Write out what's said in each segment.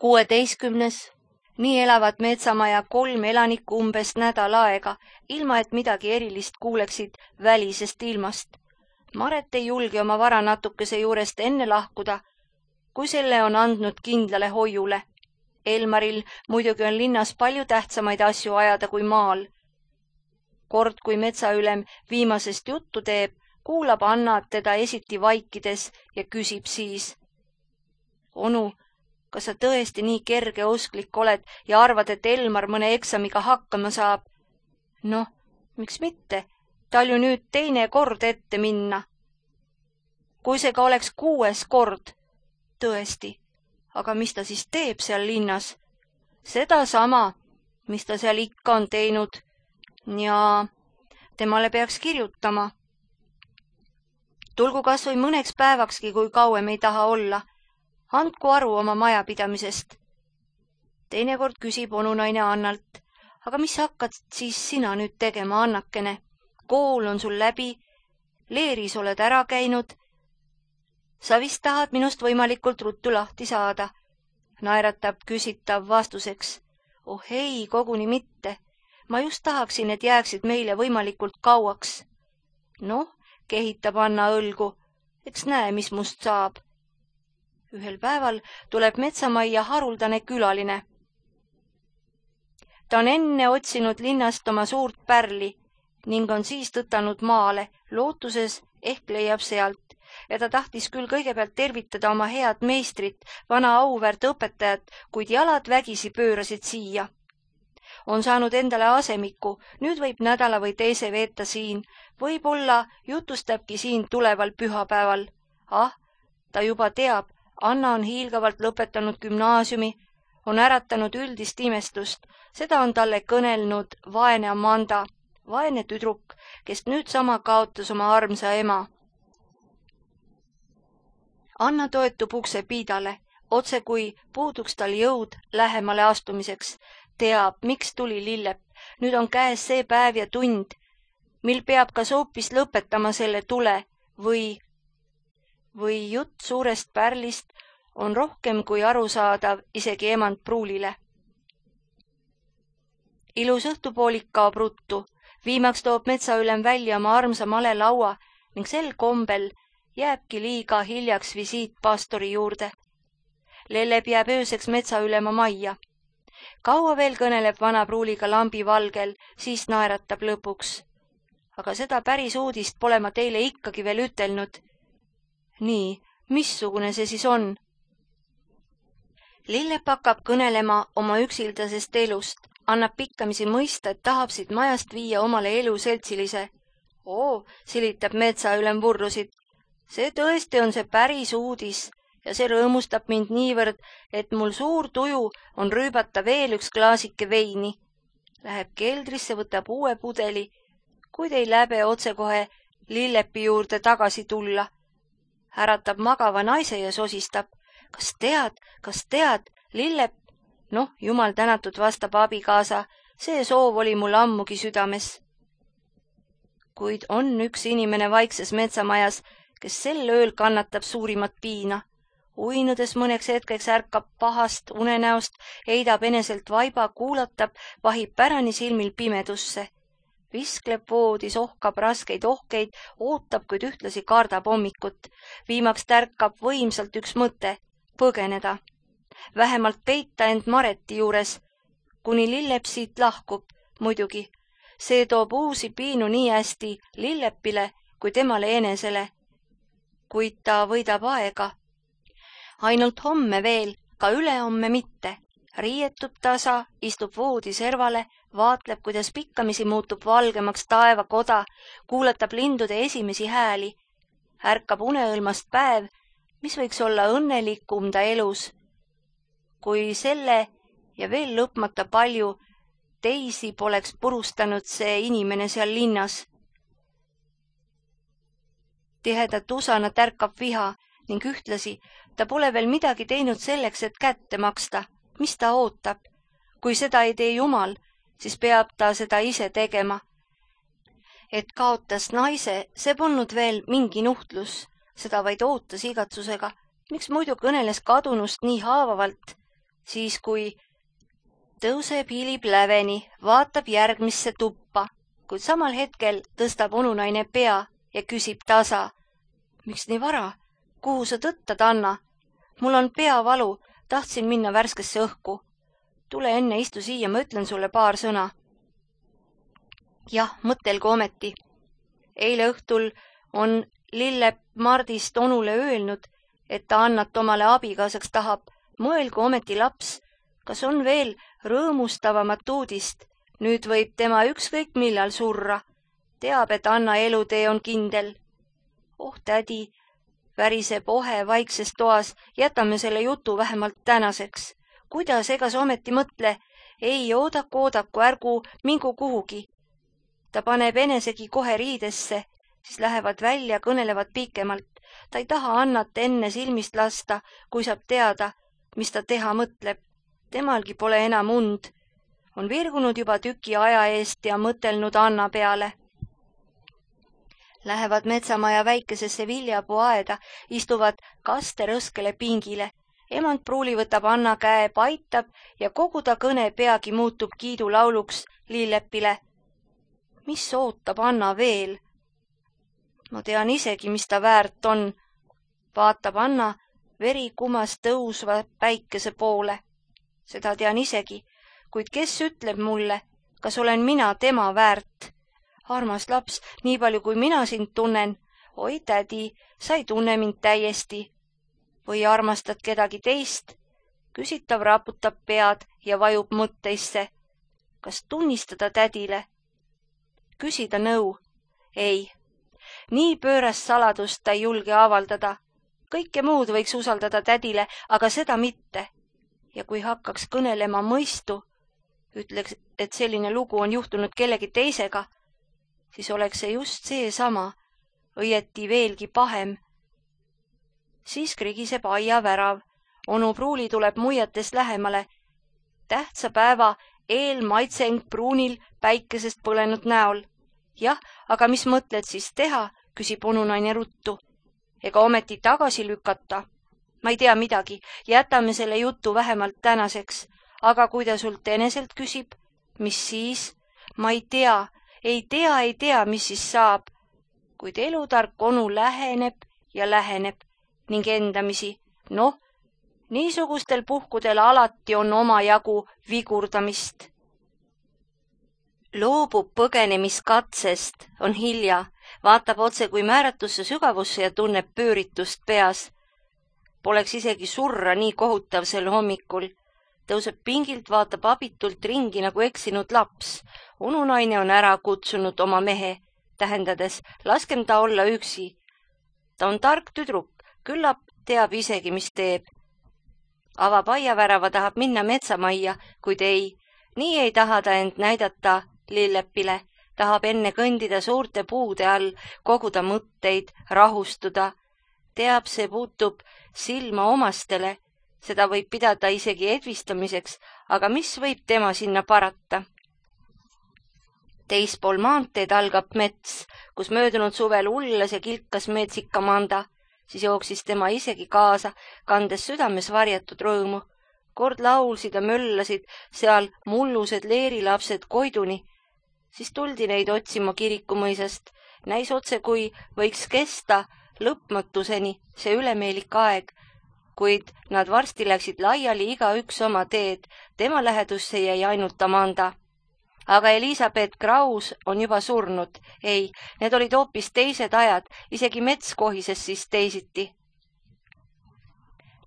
16. Nii elavad metsamaja 3 elanikku umbes nädal aega, ilma et midagi erilist kuuleksid välisest ilmast. Maret ei julge oma vara natukese juurest enne lahkuda, kui selle on andnud kindlale hoiule. Elmaril muidugi on linnas palju tähtsamaid asju ajada kui maal. Kord, kui metsaülem viimasest juttu teeb, kuulab Anna teda esiti vaikides ja küsib siis: Onu, kas sa tõesti nii kergeusklik oled ja arvad, et Elmar mõne eksamiga hakkama saab? Noh, miks mitte? Tal ju nüüd 2. kord ette minna. Kui see ka oleks 6. kord. Tõesti, aga mis ta siis teeb seal linnas? Seda sama, mis ta seal ikka on teinud. Ja temale peaks kirjutama. Tulgu kas või mõneks päevakski, kui kauem ei taha olla. Andku aru oma majapidamisest. Teinekord küsib onunaine Annalt: aga mis hakkad siis sina nüüd tegema, Annakene? Kool on sul läbi, leeris oled ära käinud. Sa vist tahad minust võimalikult ruttu lahti saada. Naeratab küsitav vastuseks: oh ei, koguni mitte. Ma just tahaksin, et jääksid meile võimalikult kauaks. Noh, kehitab Anna õlgu. Eks näe, mis must saab. Ühel päeval tuleb metsamajja haruldane külaline. Ta on enne otsinud linnast oma suurt pärli ning on siis tõtanud maale, lootuses ehk leiab sealt. Ja ta tahtis küll kõigepealt tervitada oma head meistrit, vana auväärt õpetajat, kuid jalad vägisi pöörasid siia. On saanud endale asemiku, nüüd võib nädala või teise veeta siin, võib-olla jutustabki siin tuleval pühapäeval. Ta juba teab, Anna on hiilgavalt lõpetanud gümnaasiumi, on äratanud üldist imestust, seda on talle kõnelnud vaene Amanda, vaene tüdruk, kes nüüd sama kaotas oma armsa ema. Anna toetub ukse piidale, otse kui puuduks tal jõud lähemale astumiseks. Teab, miks tuli Lillep. Nüüd on käes see päev ja tund, mil peab kas hoopis lõpetama selle tule või jutt suurest pärlist on rohkem kui arusaadav isegi emand pruulile. Ilus õhtupoolik kaob ruttu. Viimaks toob metsaülem välja oma armsa malelaua ning sel kombel jääbki liiga hiljaks visiit pastori juurde. Lellep jääb ööseks metsaülema majja. Kaua veel kõneleb vana pruuliga lambi valgel, siis naeratab lõpuks. Aga seda päris uudist pole ma teile ikkagi veel ütelnud. Nii, missugune see siis on? Lillep hakkab kõnelema oma üksildasest elust, annab pikkamisi mõista, et tahab siit majast viia omale elu seltsilise. Silitab metsaülem vurrusid. See tõesti on see päris uudis ja see rõõmustab mind niivõrd, et mul suur tuju on rüübata veel üks klaasike veini. Läheb keldrisse, võtab uue pudeli, kuid ei läbe otsekohe Lillepi juurde tagasi tulla. Äratab magava naise ja sosistab. Kas tead, Lillep? Noh, jumal tänatud, vastab abikaasa, see soov oli mul ammugi südames. Kuid on üks inimene vaikses metsamajas, kes sel ööl kannatab suurimat piina. Uinudes mõneks hetkeks ärkab pahast unenäost, heidab eneselt vaiba, kuulatab, vahib pärani silmil pimedusse. Viskleb voodis, ohkab raskeid ohkeid, ootab, kuid ühtlasi kardab hommikut. Viimaks tärkab võimsalt üks mõte: põgeneda. Vähemalt peita end Mareti juures, kuni Lillep siit lahkub, muidugi. See toob uusi piinu nii hästi Lillepile kui temale enesele. Kuid ta võidab aega. Ainult homme veel, ka ülehomme mitte. Riietub tasa, istub voodi servale, vaatleb, kuidas pikkamisi muutub valgemaks taevakoda, kuulatab lindude esimesi hääli. Ärkab uneõlmast päev, mis võiks olla õnnelikum ta elus. Kui selle ja veel lõpmata palju teisi poleks purustanud see inimene seal linnas. Tihedat usana tärkab viha ning ühtlasi ta pole veel midagi teinud selleks, et kätte maksta. Mis ta ootab? Kui seda ei tee Jumal, siis peab ta seda ise tegema. Et kaotas naise, see polnud veel mingi nuhtlus, seda vaid ootas igatsusega. Miks muidu kõneles kadunust nii haavavalt? siis kui tõuseb, hiilib läveni, vaatab järgmisse tuppa, kuid samal hetkel tõstab onunaine pea ja küsib tasa. Miks nii vara? Kuhu sa tõttad, Anna? Mul on peavalu, tahtsin minna värskesse õhku. Tule enne, istu siia, ma ütlen sulle paar sõna. Jah, mõtelgu ometi. Eile õhtul on Lillepp Mardist onule öelnud, et ta Annat omale abikaasaks tahab. Mõelgu ometi laps, kas on veel rõõmustavamat uudist. Nüüd võib tema ükskõik millal surra. Teab, et Anna elutee on kindel. Oh, tädi, väriseb ohe vaikses toas, jätame selle jutu vähemalt tänaseks. Kuidas, ega sa ometi mõtle? Ei, oodaku, ärgu mingu kuhugi. Ta paneb enesegi kohe riidesse, siis lähevad välja, kõnelevad pikemalt. Ta ei taha Annat enne silmist lasta, kui saab teada, mis ta teha mõtleb. Temalgi pole enam und. On virgunud juba tüki aja eest ja mõtelnud Anna peale. Lähevad metsamaja väikesesse viljapuuaeda, istuvad kasterõskele pingile. Emand Pruuli võtab Anna käe, paitab ja kogu ta kõne peagi muutub kiidulauluks Lilleppile. Mis ootab Anna veel? Ma tean isegi, mis ta väärt on. Vaatab Anna veri kumas tõusva päikese poole. Seda tean isegi, kuid kes ütleb mulle, kas olen mina tema väärt? Armas laps, nii palju kui mina sind tunnen. Oi, tädi, sa ei tunne mind täiesti. Või armastad kedagi teist? Küsitav raputab pead ja vajub mõtteisse. Kas tunnistada tädile? Küsida nõu? Ei. Nii pöörast saladust ta ei julge avaldada. Kõike muud võiks usaldada tädile, aga seda mitte. Ja kui hakkaks kõnelema mõistu, ütleks, et selline lugu on juhtunud kellegi teisega, siis oleks see just seesama, õieti veelgi pahem. Siis krigiseb aiavärav. Onu Pruuli tuleb muiates lähemale. Tähtsa päeva eelmaitseng Pruunil päikesest põlenud näol. Jah, aga mis mõtled siis teha, küsib onunaine ruttu. Ega ometi tagasi lükata. Ma ei tea midagi, jätame selle jutu vähemalt tänaseks. Aga kui ta sult eneselt küsib, mis siis? Ma ei tea, mis siis saab. Kuid elutark onu läheneb ja läheneb ning endamisi. Noh, niisugustel puhkudel alati on omajagu vigurdamist. Loobub põgenemiskatsest, on hilja, vaatab otse kui määratusse sügavusse ja tunneb pööritust peas. Poleks isegi surra nii kohutav sel hommikul. Tõuseb pingilt, vaatab abitult ringi nagu eksinud laps. Onunaine on ära kutsunud oma mehe, tähendades, laskem ta olla üksi. Ta on tark tüdruk, küllap teab isegi, mis teeb. Avab aiavärava, tahab minna metsamajja, kuid ei. Nii ei taha ta end näidata Lilleppile. Tahab enne kõndida suurte puude all, koguda mõtteid, rahustuda. Teab, see puutub silma omastele. Seda võib pidada isegi edvistamiseks, aga mis võib tema sinna parata? Teispool maanteed algab mets, kus möödunud suvel ullas ja kilkas meetsikamanda. Siis jooksis tema isegi kaasa, kandes südames varjatud rõõmu. Kord laulsid ja möllasid seal mullused leerilapsed koiduni. Siis tuldi neid otsima kirikumõisast. Näis otse, kui võiks kesta lõpmatuseni see ülemeelik aeg, kuid nad varsti läksid laiali igaüks oma teed. Tema lähedusse jäi ainult Amanda. Aga Elisabeth Kraus on juba surnud. Ei, need olid hoopis teised ajad, isegi mets kohises siis teisiti.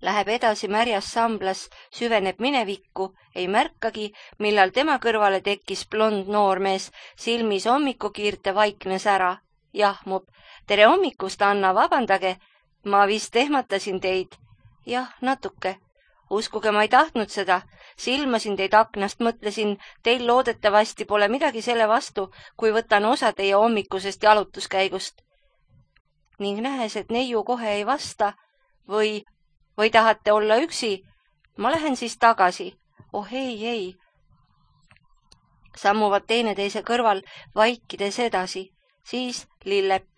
Läheb edasi märjas samblas, süveneb minevikku, ei märkagi, millal tema kõrvale tekkis blond noormees, silmis hommikukiirte vaiknes ära. Jahmub, tere hommikust, Anna, vabandage, ma vist ehmatasin teid. Jah, natuke. Uskuge, ma ei tahtnud seda. Silmasin teid aknast, mõtlesin, teil loodetavasti pole midagi selle vastu, kui võtan osa teie hommikusest jalutuskäigust. Ning nähes, et neiu kohe ei vasta või tahate olla üksi, ma lähen siis tagasi. Oh ei. Sammuvad teineteise kõrval, vaikides edasi. Siis Lillepp.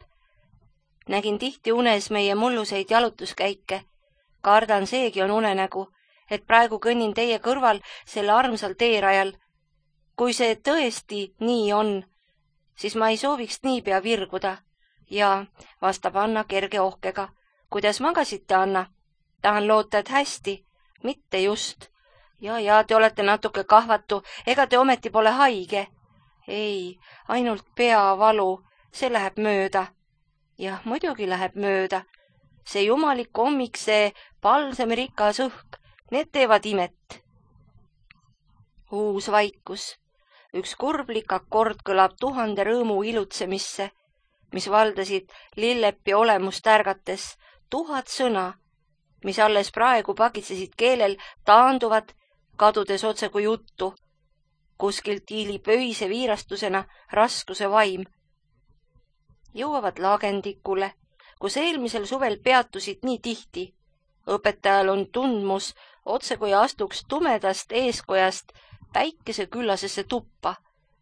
Nägin tihti unes meie mulluseid jalutuskäike. Kardan, seegi on unenägu. et praegu kõnnin teie kõrval selle armsal teerajal. Kui see tõesti nii on, siis ma ei sooviks niipea virguda. Ja, vastab Anna kerge ohkega. Kuidas magasite, Anna? Tahan loota, et hästi. Mitte just. Ja, te olete natuke kahvatu, ega te ometi pole haige? Ei, ainult peavalu, see läheb mööda. Jah, muidugi läheb mööda. See jumalik hommik, see palsemirikas õhk, need teevad imet. Uus vaikus. Üks kurblik akord kõlab 1000 rõõmu ilutsemisse, mis valdasid Lillepi olemust ärgates. 1000 sõna, mis alles praegu pakitsesid keelel, taanduvad, kadudes otse kui juttu. Kuskilt hiilib öise viirastusena raskuse vaim. Jõuavad Lagendikule, kus eelmisel suvel peatusid nii tihti. Õpetajal on tundmus, otse kui astuks tumedast eeskojast päikese küllasesse tuppa.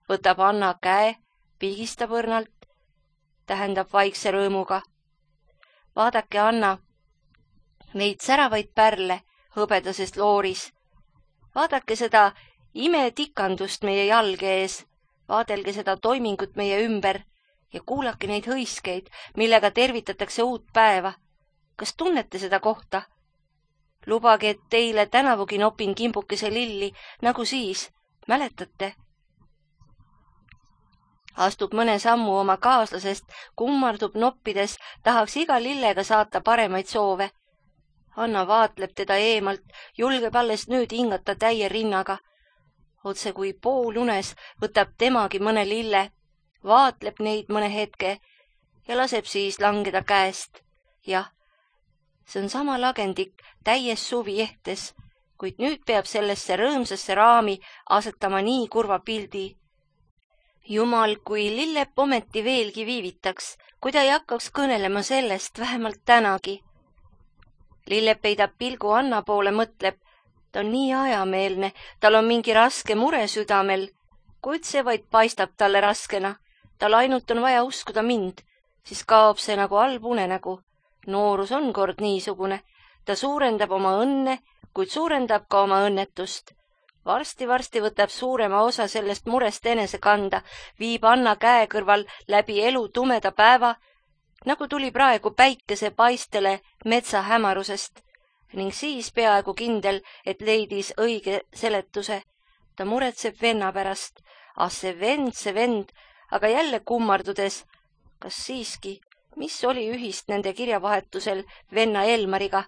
Võtab Anna käe, pigistab õrnalt, tähendab vaikse rõõmuga. Vaadake, Anna, neid säravaid pärle hõbedasest looris. Vaadake seda imetikandust meie jalge ees, vaadelge seda toimingut meie ümber ja kuulake neid hõiskeid, millega tervitatakse uut päeva. Kas tunnete seda kohta? Lubage, et teile tänavugi nopin kimbukese lilli, nagu siis, mäletate? Astub mõne sammu oma kaaslasest, kummardub noppides, tahaks iga lillega saata paremaid soove. Anna vaatleb teda eemalt, julgeb alles nüüd hingata täie rinnaga. Otse kui poolunes võtab temagi mõne lille, vaatleb neid mõne hetke ja laseb siis langeda käest. Jah, see on sama Lagendik täies suvi ehtes, kuid nüüd peab sellesse rõõmsasse raami asetama nii kurva pildi. Jumal, kui Lillep ometi veelgi viivitaks, kui ta ei hakkaks kõnelema sellest vähemalt tänagi. Lillep peidab pilgu Anna poole, mõtleb, ta on nii ajameelne, tal on mingi raske mure südamel, kuid see vaid paistab talle raskena. Tal ainult on vaja uskuda mind, siis kaob see nagu halb unenägu. Noorus on kord niisugune, ta suurendab oma õnne, kuid suurendab ka oma õnnetust. Varsti võtab suurema osa sellest murest enese kanda, viib Anna käe kõrval läbi elu tumeda päeva, nagu tuli praegu päikese paistele metsa hämarusest, ning siis peaaegu kindel, et leidis õige seletuse. Ta muretseb venna pärast. See vend, aga jälle kummardudes, kas siiski, mis oli ühist nende kirjavahetusel venna Elmariga?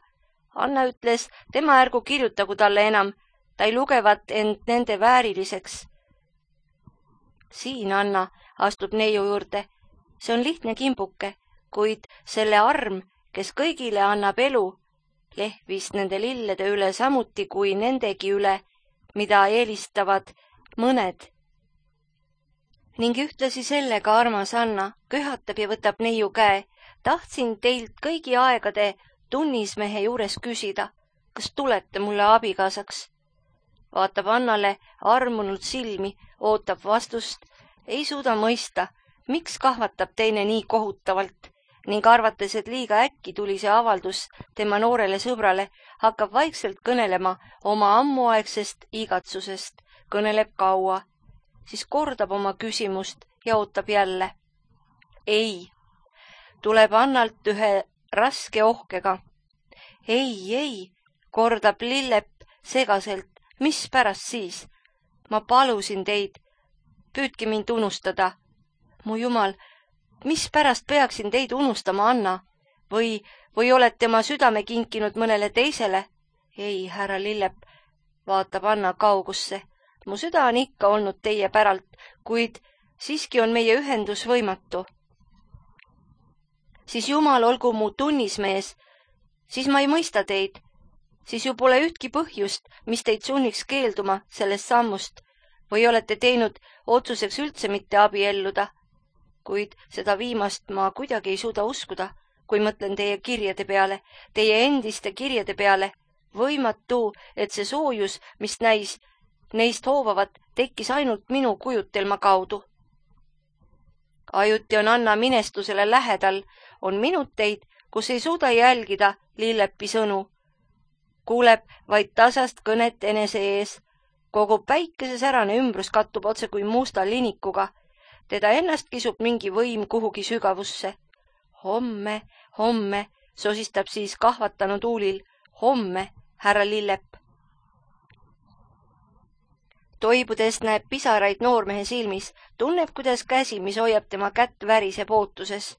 Anna ütles, tema ärgu kirjutagu talle enam, ta ei lugevat end nende vääriliseks. Siin Anna astub neiu juurde. See on lihtne kimbuke, kuid selle arm, kes kõigile annab elu, lehvis nende lillede üle samuti kui nendegi üle, mida eelistavad mõned. Ning ühtlasi sellega armas Anna köhatab ja võtab neiu käe. Tahtsin teilt kõigi aegade tunnismehe juures küsida, kas tulete mulle abikaasaks? Vaatab Annale armunult silmi, ootab vastust, ei suuda mõista, miks kahvatab teine nii kohutavalt, ning arvates, et liiga äkki tuli see avaldus tema noorele sõbrale, hakkab vaikselt kõnelema oma ammuaegsest igatsusest, kõneleb kaua, siis kordab oma küsimust ja ootab jälle. Ei, tuleb Annalt ühe raske ohkega. Ei, kordab Lillep segaselt, mis pärast siis? Ma palusin teid, püüdke mind unustada. Mu jumal, mis pärast peaksin teid unustama, Anna? Või olete oma südame kinkinud mõnele teisele? Ei, härra Lillep, vaatab Anna kaugusse. Mu süda on ikka olnud teie päralt, kuid siiski on meie ühendus võimatu. Siis Jumal olgu mu tunnismees, siis ma ei mõista teid. Siis ju pole ühtki põhjust, mis teid sunniks keelduma sellest sammust, või olete teinud otsuseks üldse mitte abielluda. Kuid seda viimast ma kuidagi ei suuda uskuda, kui mõtlen teie kirjade peale, teie endiste kirjade peale. Võimatu, et see soojus, mis neist hoovavat, tekkis ainult minu kujutelma kaudu. Ajuti on Anna minestusele lähedal, on minuteid, kus ei suuda jälgida Lillepi sõnu. kuuleb vaid tasast kõnet enese ees. Kogu päikesesärane ümbrus kattub otse kui musta linikuga. Teda ennast kisub mingi võim kuhugi sügavusse. Homme, homme, sosistab siis kahvatanud huulil. Homme, härra Lillep. Toibudes näeb pisaraid noormehe silmis, tunneb, kuidas käsi, mis hoiab tema kätt, väriseb ootuses.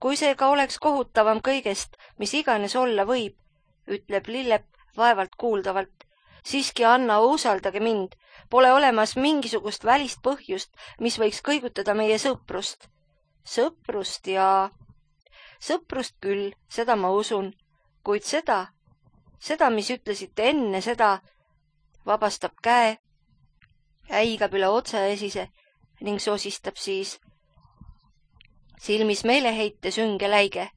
Kui see ka oleks kohutavam kõigest, mis iganes olla võib, ütleb Lillep vaevalt kuuldavalt. Siiski, Anna, usaldage mind. Pole olemas mingisugust välist põhjust, mis võiks kõigutada meie sõprust. Sõprust ja... Sõprust küll, seda ma usun. Kuid seda, mis ütlesite enne seda, vabastab käe, äigab üle otsaesise ning sosistab siis. Silmis meeleheite sünge läige.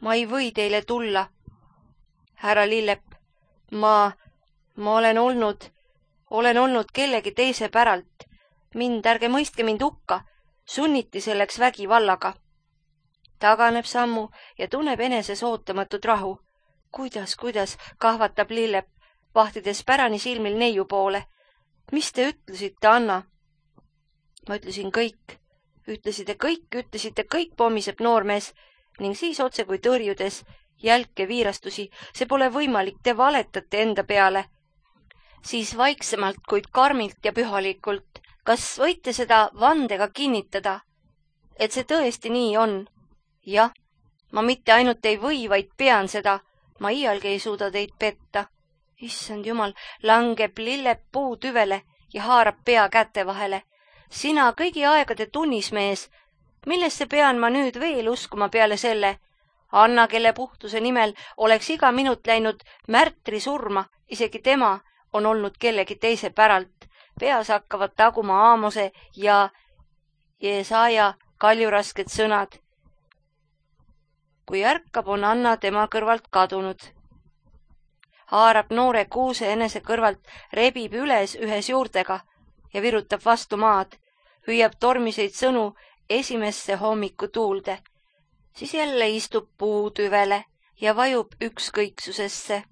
Ma ei või teile tulla, härra Lillep. Ma olen olnud kellegi teise päralt. Ärge mõistke mind hukka, sunniti selleks vägivallaga. Taganeb sammu ja tunneb eneses ootamatut rahu. Kuidas, kahvatab Lillep, vahtides pärani silmil neiu poole. Mis te ütlesite, Anna? Ma ütlesin kõik. Ütlesite kõik, pommiseb noormees ning siis otse kui tõrjudes jälke viirastusi. See pole võimalik, te valetate enda peale. Siis vaiksemalt, kuid karmilt ja pühalikult. Kas võite seda vandega kinnitada, et see tõesti nii on? Jah, ma mitte ainult ei või, vaid pean seda. Ma iialgi ei suuda teid petta. Issand jumal, langeb Lillep puutüvele ja haarab pea käte vahele. Sina kõigi aegade tunnismees, millesse pean ma nüüd veel uskuma peale selle? Anna, kelle puhtuse nimel oleks iga minut läinud märtri surma, isegi tema on olnud kellegi teise päralt. Peas hakkavad taguma Aamose ja Jesaja kaljurasked sõnad. Kui ärkab, on Anna tema kõrvalt kadunud. Haarab noore kuuse enese kõrvalt, rebib üles ühes juurtega ja virutab vastu maad, hüüab tormiseid sõnu esimesse hommikutuulde. Siis jälle istub puutüvele ja vajub ükskõiksusesse,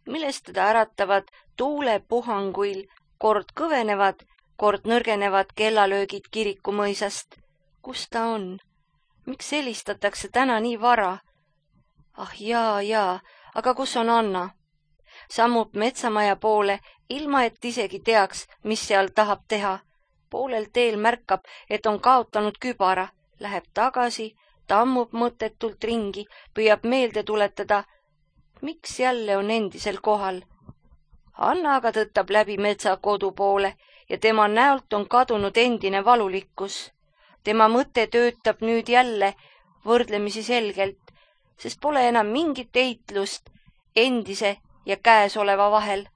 millest teda äratavad tuulepuhanguil kord kõvenevad, kord nõrgenevad kellalöögid kirikumõisast. Kus ta on? Miks helistatakse täna nii vara? Ah jaa, aga kus on Anna? Sammub metsamaja poole, ilma et isegi teaks, mis seal tahab teha. Poolel teel märkab, et on kaotanud kübara, läheb tagasi, tammub mõttetult ringi, püüab meelde tuletada, miks jälle on endisel kohal. Anna aga tõttab läbi metsa kodu poole ja tema näolt on kadunud endine valulikkus. Tema mõte töötab nüüd jälle võrdlemisi selgelt, sest pole enam mingit eitlust endise ja käesoleva vahel.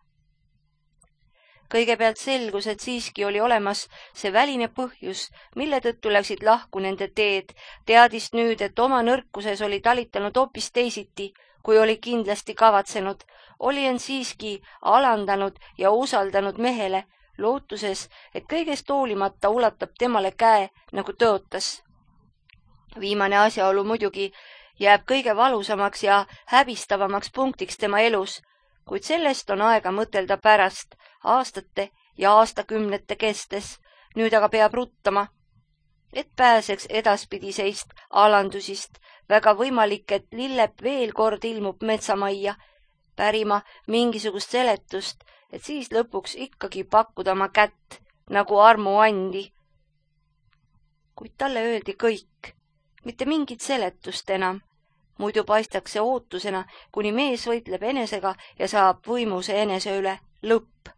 Kõigepealt selgus, et siiski oli olemas see väline põhjus, mille tõttu läksid lahku nende teed. Teadis nüüd, et oma nõrkuses oli talitanud hoopis teisiti, kui oli kindlasti kavatsenud. Oli end siiski alandanud ja usaldanud mehele, lootuses, et kõigest hoolimata ulatab temale käe, nagu tõotas. Viimane asjaolu muidugi jääb kõige valusamaks ja häbistavamaks punktiks tema elus, kuid sellest on aega mõtelda pärast, aastate ja aastakümnete kestes. Nüüd aga peab ruttama, et pääseks edaspidiseist alandusist. Väga võimalik, et Lillep veel kord ilmub metsamajja, pärima mingisugust seletust, et siis lõpuks ikkagi pakkuda oma kätt, nagu armuandi. Kuid talle öeldi kõik, mitte mingit seletust enam. Muidu paistaks see ootusena, kuni mees võitleb enesega ja saab võimuse enese üle. Lõpp.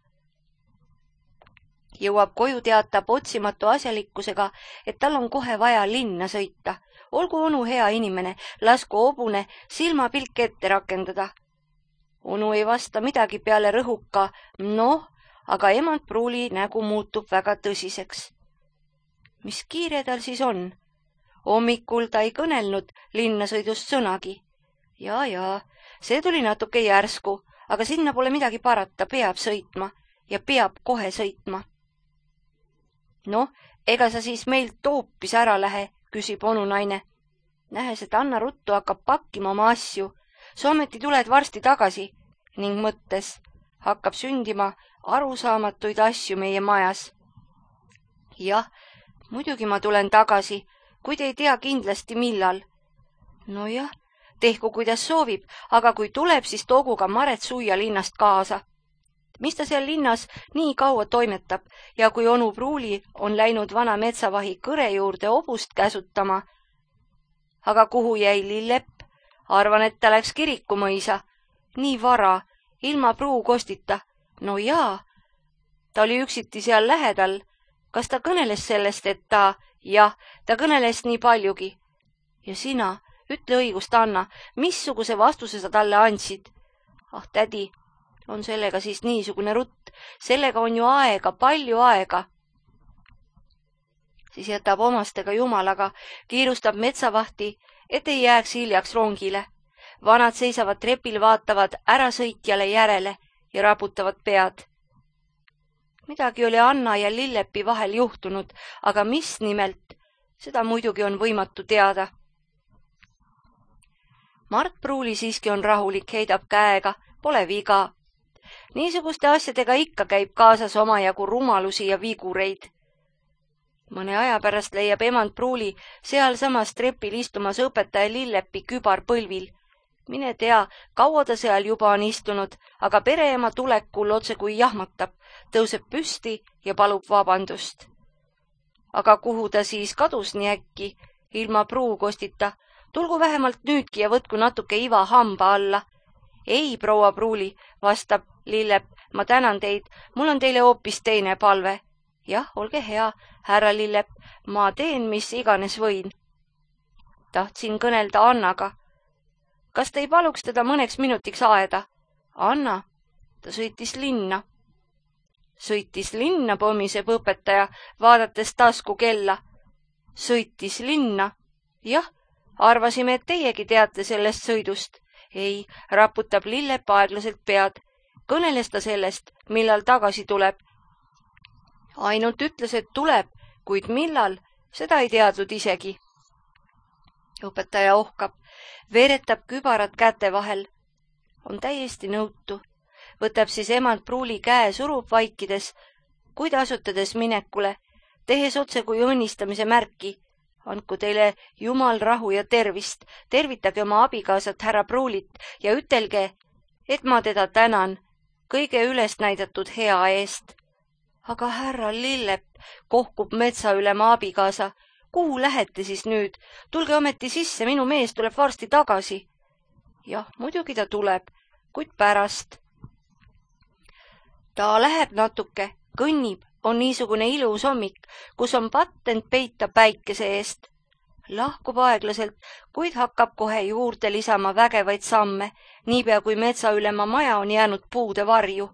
Jõuab koju, teatab otsimatu asjalikkusega, et tal on kohe vaja linna sõita. Olgu onu hea inimene, lasku hobune silmapilk ette rakendada. Onu ei vasta midagi peale rõhuka, aga emand pruuli nägu muutub väga tõsiseks. Mis kiire tal siis on? Hommikul ta ei kõnelnud linnasõidust sõnagi. Jaa, see tuli natuke järsku, aga sinna pole midagi parata, peab sõitma ja peab kohe sõitma. Ega sa siis meilt hoopis ära lähe, küsib onunaine. Nähes, et Anna ruttu hakkab pakkima oma asju, sa ometi tuled varsti tagasi ning mõttes hakkab sündima arusaamatuid asju meie majas. jah, muidugi ma tulen tagasi, kuid ei tea kindlasti millal. nojah, tehku kuidas soovib, aga kui tuleb, siis toogu ka Maret Suia linnast kaasa. mis ta seal linnas nii kaua toimetab ja kui onu Pruuli on läinud vana metsavahi Kõre juurde hobust käsutama. aga kuhu jäi Lillepp? arvan, et ta läks Kirikumõisa. nii vara, ilma pruukostita. no jaa, ta oli üksiti seal lähedal. kas ta kõneles sellest, et ta... jah, ta kõneles nii paljugi. ja sina, ütle õigust, Anna, missuguse vastuse sa talle andsid? ah, tädi, on sellega siis niisugune rutt, sellega on ju aega, palju aega. siis jätab omastega jumalaga, kiirustab metsavahti, et ei jääks hiljaks rongile. vanad seisavad trepil, vaatavad ärasõitjale järele ja raputavad pead. midagi oli Anna ja Lillepi vahel juhtunud, aga mis nimelt, seda muidugi on võimatu teada. Mart Pruuli siiski on rahulik, heidab käega, pole viga. niisuguste asjadega ikka käib kaasas omajagu rumalusi ja vigureid. mõne aja pärast leiab emand Pruuli sealsamas trepil istumas õpetaja Lillepi kübarpõlvil. mine tea, kaua ta seal juba on istunud, aga pereema tulekul otse kui jahmatab, tõuseb püsti ja palub vabandust. aga kuhu ta siis kadus nii äkki, ilma pruukostita? tulgu vähemalt nüüdki ja võtku natuke iva hamba alla. ei, proua Pruuli, vastab Lillep, ma tänan teid, mul on teile hoopis teine palve. jah, olge hea, härra Lillep, ma teen, mis iganes võin. tahtsin kõnelda Annaga. kas te ei paluks teda mõneks minutiks aeda? Anna, ta sõitis linna. sõitis linna, pomiseb õpetaja, vaadates tasku kella. sõitis linna? jah, arvasime, et teiegi teate sellest sõidust. ei, raputab Lillep aeglaselt pead. kõneles ta sellest, millal tagasi tuleb? ainult ütles, et tuleb, kuid millal, seda ei teadnud isegi. õpetaja ohkab, veeretab kübarat käte vahel. on täiesti nõutu. võtab siis emand Pruuli käe, surub vaikides, kuid asutades minekule, tehes otse kui õnnistamise märki. andku teile Jumal rahu ja tervist, tervitage oma abikaasat härra Pruulit ja ütelge, et ma teda tänan kõige üles näidatud hea eest. aga härra Lillep, kohkub metsaülema abikaasa, kuhu lähete siis nüüd? tulge ometi sisse, minu mees tuleb varsti tagasi. jah, muidugi ta tuleb, kuid pärast. ta läheb natuke, kõnnib, on niisugune ilus hommik, kus on patent peita päikese eest. lahkub aeglaselt, kuid hakkab kohe juurde lisama vägevaid samme, niipea kui metsaülema maja on jäänud puude varju.